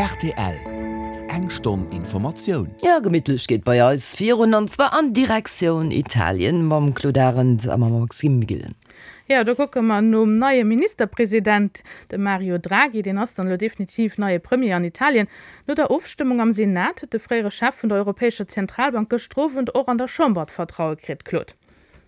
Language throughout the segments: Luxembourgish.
Rtl, Eng Stonn Informatioun. Jo, gemittlech geet bei eis virun, an zwar an Direktioun Italien mam Claude Arend a mam Maxime Gillen. Jo, do kucke mer nom neie Ministerpresident, dem Mario Draghi. Deen ass dann elo definitiv neie Premier an Italien. No der Ofstëmmung am Senat huet de fréiere Chef vun der Europäescher Zentralbank gëschter Owend och an der Chamber d'Vertraue kritt. Claude.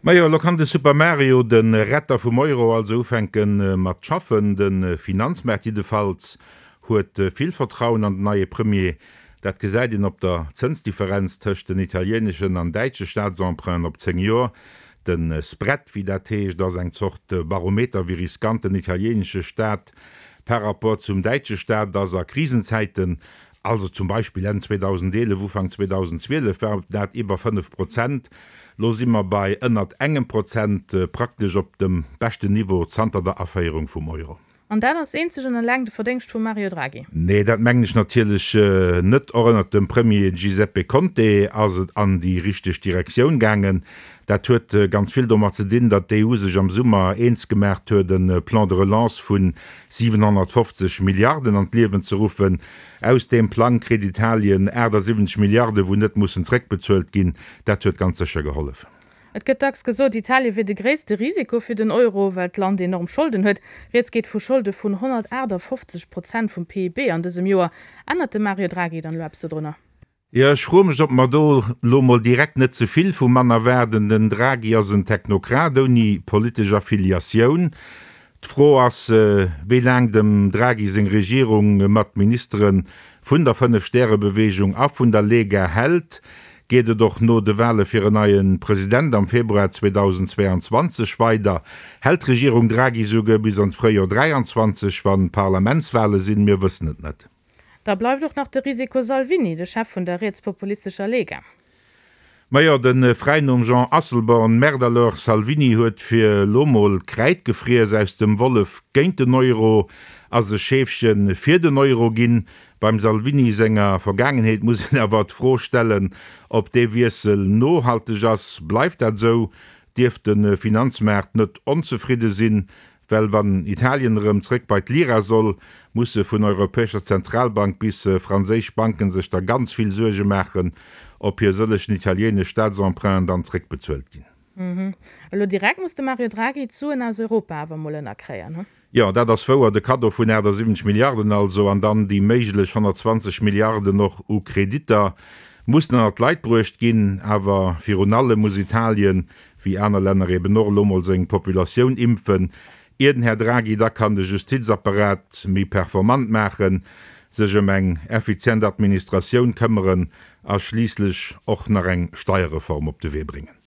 Majo, elo kann de Super Mario, de Retter vum Euro, also ufänke mat schaffen. De Finanzmaart jiddefalls huet vill Vertrauen an den neie Premier. Dat gesäit een op der Zënsdifferenz tëscht den italieeneschen an däitsche Staatsemprunten op 10 Joer. De Spread, wéi dat heescht, ass eng Zort Barometer, wéi riskant den italieenesche Staat par rapport zum däitsche Staat ass a Krisenzäiten. Also zum Beispill Enn 2011, Ufank 2012 war dat iwwer 5 Prozent. Lo si mer bei ënnert engem Prozent, praktesch op dem beschten Niveau zanter der Aféierung vum Euro. An dat ass eenzeg an eleng de Verdéngscht vum Mario Draghi? Nee, dat mengen ech natierlech net. Och ënnert dem Premier Giuseppe Conte ass et an déi richteg Direktioun gaangen. Dat huet ganz vill domat ze dinn, datt d'EU sech am Summer eens gemaacht huet, e Plan de relance vu 750 Milliarden an d'Liewen ze ruffen. Aus deem Plang kritt Italien 78 Milliarden, wou net mussen zréckbezuelt ginn. Dat huet ganz sécher gehollef. Et gëtt dacks gesot, Italien wier de gréisste Risiko fir den Euro, well d'Land enorm Scholden huet. Rieds geet vu Scholde vun 158 Prozent vum PIB an dësem Joer. Ännert de Mario Draghi dann elo eppes dodrunner? Jo, ech froe mech, ob mer do lo mol direkt net ze vill vum Mann erwaarden. Den Draghi ass en Technokrat ouni politesch Affiliatioun. D'Fro ass, wéi laang dem Draghi seng Regierung mat Ministere vun der Fënnef-Stäre-Beweegung a vun der Lega hält. Geet et och no de Wale fir en neie President am Februar 2022 weider? Hält d'Regierung Draghi souguer bis an d'Fréijor 23, wann Parlamentswale sinn? Mir wëssen et net. Da bleift och nach de Risiko Salvini, de Chef vun der rietspopulistescher Lega. Majo, de Fräinumm Jean Asselborn, merde alors, Salvini huet fir elo mol Kräid gefriess. Aus dem Wollef géint den Euro ass e Scheefchen fir den Euro ginn. Beim Salvini senger Vergaangenheet muss een awer d'Fro stellen, ob dee Wiessel nohalteg ass. Bleift dat esou, dierft de Finanzmaart net onzefridde sinn, Well wann Italien erëm zréck bei d'Lira soll, musse vun Europäescher Zentralbank bis franséisch Banken sech da ganz vill Suerge maachen, ob hir sëllegen italienesch Staatsemprunten dann zréckbezuelt ginn. Elo direkt muss de Mario Draghi d'Suen aus Europa awer mol ënnerkréien, he? Jo, dat ass wouer. De Kaddo vun 78 Milliarden also, an dann déi méiglech 120 Milliarden och u Kreditter, mussen ënnert d'Leit bruecht ginn. Awer virun allem muss Italien wéi aner Länner eben och, elo mol seng Populatioun impfen, ier den Här Draghi da kann de Justizapparat méi performant maachen, sech ëm eng effizient Administratioun këmmeren a schliisslech och nach eng Steierreform op de Wee bréngen.